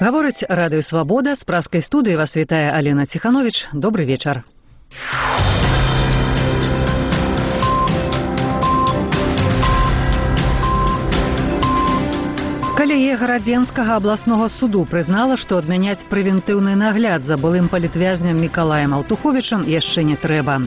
Гаворыць радыё «Свабода», з праскай студыі вас вітае Алена Ціхановіч. Добры вечар. Калегія Гарадзенскага абласнога суду прызнала, што адмяняць прэвентыўны нагляд за былым палітвязням Мікалаем Алтуховічам яшчэ не трэба.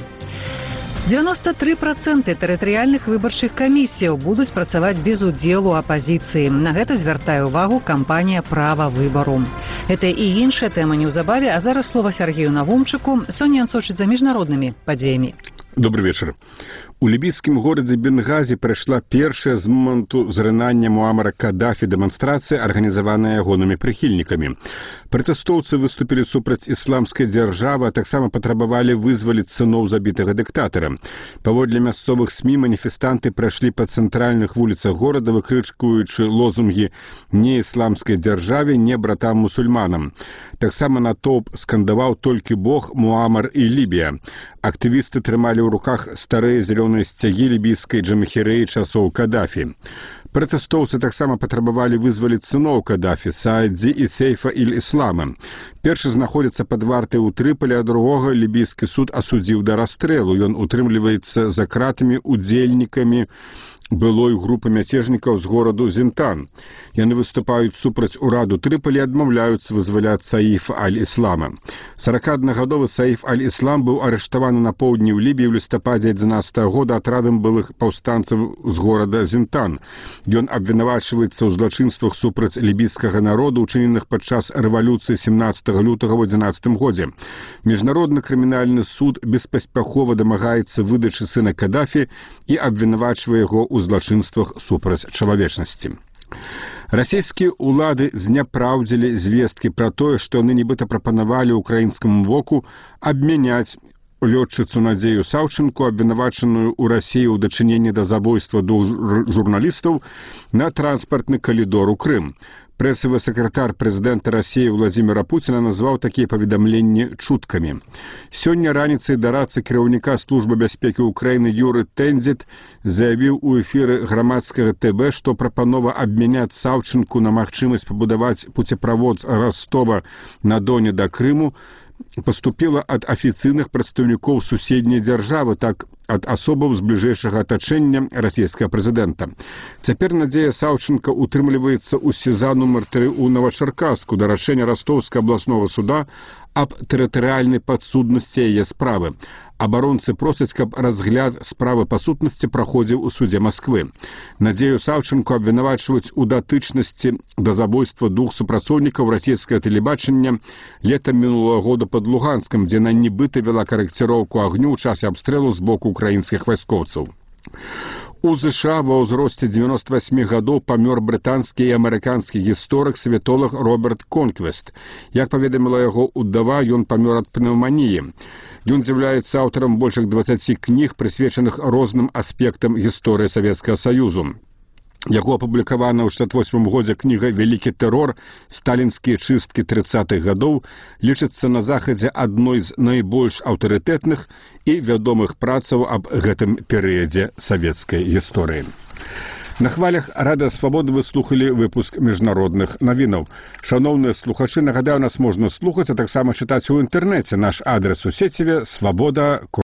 93% тэрытарыяльных выбарчых камісіяў будуць працаваць без удзелу апазіцыі. На гэта звяртае ўвагу кампанія «Права выбару». Гэта і іншая тэма неўзабаве, а зараз слова Сергею Навумчыку. Сёння ён сочыць за міжнароднымі падзеямі. Добрый вечер. У лібійскім горадзе Бенгазі прайшла першая з моманту зрынання Муамара Каддафі дэманстрацыя, арганізаваная ягонымі прыхільнікамі. Пратэстоўцы выступілі супраць ісламскай дзяржавы, а таксама патрабавалі вызваліць сыноў забітага дыктатара. Паводле мясцовых СМІ маніфестанты прайшлі па цэнтральных вуліцах горада, выкрычкуючы лозунгі «Не ісламскай дзяржаве, не братам мусульманам». Таксама натоўп скандаваў «Толькі Бог, Муамар і Лібія». Актывісты трымалі ў руках старыя зялёныя сцягі лібійскай джамахірэі часоў Каддафі. Пратэстоўцы таксама патрабавалі вызваліць сыноў Каддафі, Саадзі і Сейфа Иль-Іслама. Першы знаходзіцца пад вартай у Трыполі, а другога лібійскі суд асудзіў да расстрэлу. Ён утрымліваецца за кратамі удзельнікамі былой групы мяцежнікаў з гораду Зінтан. Яны выступаюць супраць ураду Трыполі і адмаўляюцца вызваляць Саіфа Аль-Іслама. 41-гадовы Саіф Аль-Іслам быў арыштаваны на поўдні ў Лібіі ў лістападзе 11 года атрадам былых паўстанцаў з горада Зінтан. Ён абвінавачваецца ў злачынствах супраць лібійскага народу, учыненых падчас рэвалюцыі 17 лютага ў 11 годзе. Міжнародны крымінальны суд беспаспяхова дамагаецца выдачы сына Каддафі і абвінавачвае яго ў злачынствах супраць чалавечнасці. Расійскія ўлады зняпраўдзілі звесткі пра тое, што яны нібыта прапанавалі ўкраінскаму воку абмяняць лётчыцу Надзею Саўчынку, абвінавачаную ў Расіі ў дачыненні да забойства двух журналістаў, на транспартны калідор у Крым. Прэсавы сакратар прэзідэнта Расіі Владзіміра Пуціна назваў такія паведамленні чуткамі. Сёння раніцай дарадца кіраўніка службы бяспекі ўкраіны Юры Тэндзіт заявіў у эфіры грамадскага ТВ, што прапанова абмяняць Саўчынку на магчымасць пабудаваць пуцеправод з Ростова-на-Доне да Крыму паступіла ад афіцыйных прадстаўнікоў суседняй дзяржавы, так ад асобаў з бліжэйшага атачэння расійскага прэзідэнта. Цяпер Надзея Саўчынка утрымліваецца ў СІЗА нумар 3 у Новачаркаску да рашэння Ростовскага абласнога суда аб тэрытарыяльнай падсуднасці яе справы. Абаронцы просяць, каб разгляд справы па сутнасці праходзіў у судзе Масквы. Надзею Саўчынку абвінавачваюць у датычнасці да забойства двух супрацоўнікаў расійскага тэлебачання летам мінулага года пад Луганскам, дзе яна нібыта вела карэкціроўку агню ў часе абстрэлу з боку украінскіх вайскоўцаў. У ЗША ва ўзросце 98 гадоў памёр брытанскі і амерыканскі гісторык, светолаг Роберт Конквест. Як паведаміла яго ўдава, ён памёр ад пнеўманіі. Ён з'яўляецца аўтарам больш як 20 кніг, прысвечаных розным аспектам гісторыі Савецкага Саюзу. Яго апублікавана ў 68 годзе кніга «Вялікі тэрор. Сталінскія чысткі 30-х гадоў» лічыцца на Захадзе адной з найбольш аўтарытэтных і вядомых працаў аб гэтым перыядзе савецкай гісторыі. На хвалях Радыё Свабода вы слухалі выпуск міжнародных навінаў. Шаноўныя слухачы, нагадаю, нас можна слухаць, а таксама чытаць у інтэрнэце. Наш адрес у сеціве свабода.